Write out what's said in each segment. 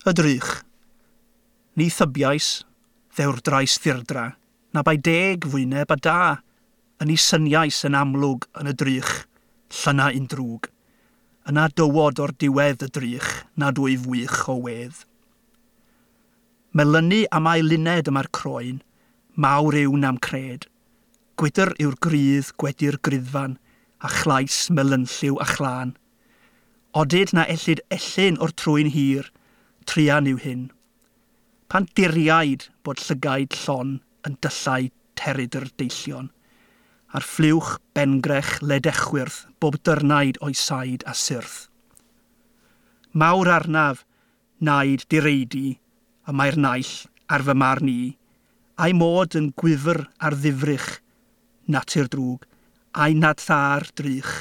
Y drych. Ni thybiais, ddewrdrais ddirdra, na bai deg fwyneb a da, yn ei syniais yn amlwg yn y drych, llyna un drwg. Yna dywod o'r diwedd y drych, nad wyf wych o wedd. Melynu am ail luned yma'r croen, mawr yw na'm cred. Gwydr yw'r grydd gwedi'r griddfan, a chlais melynlliw a chlân. Odid na ellid ellyn o'r trwyn hir, truan yw hyn. Pan diriaid bod llygaid llon yn dyllau teridr deillion, a'r ffliwch bengrech ledechwyrth bob dyrnaid o'i said a syrth. Mawr arnaf, naid direidi, y mae'r naill ar fy marn i, a'i mod yn gwyfr ar ddifrych, natur drwg, a'i nad thâr drych.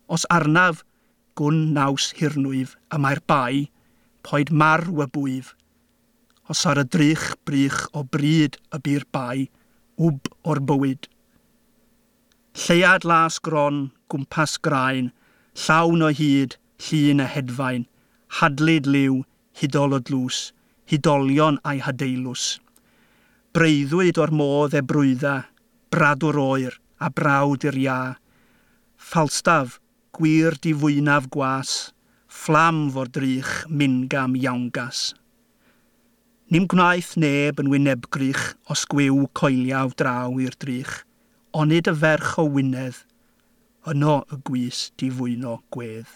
Os arnaf, gwn naws hirnwyf, y mae'r bai, poed marw y bwyf. Os ar y drych brych o bryd y bu'r bai, wb o'r bywyd. Lleuad las gron, gwmpas graen, llawn o hyd, llun a hedfain, hadlyd liw, hudol o dlws, hudolion a'i hadeilws. Breuddwyd o'r modd ebrwydda, bradwr oer a brawd i'r ia. Falstaff, gwir difwynaf gwas, fflam fo'r drych mingam iawngas. Nim gwnaeth neb yn wynebgrych os gwiw coeliaw draw i'r drych, onid y ferch o Wynedd, yno y gwys difwyno gwedd.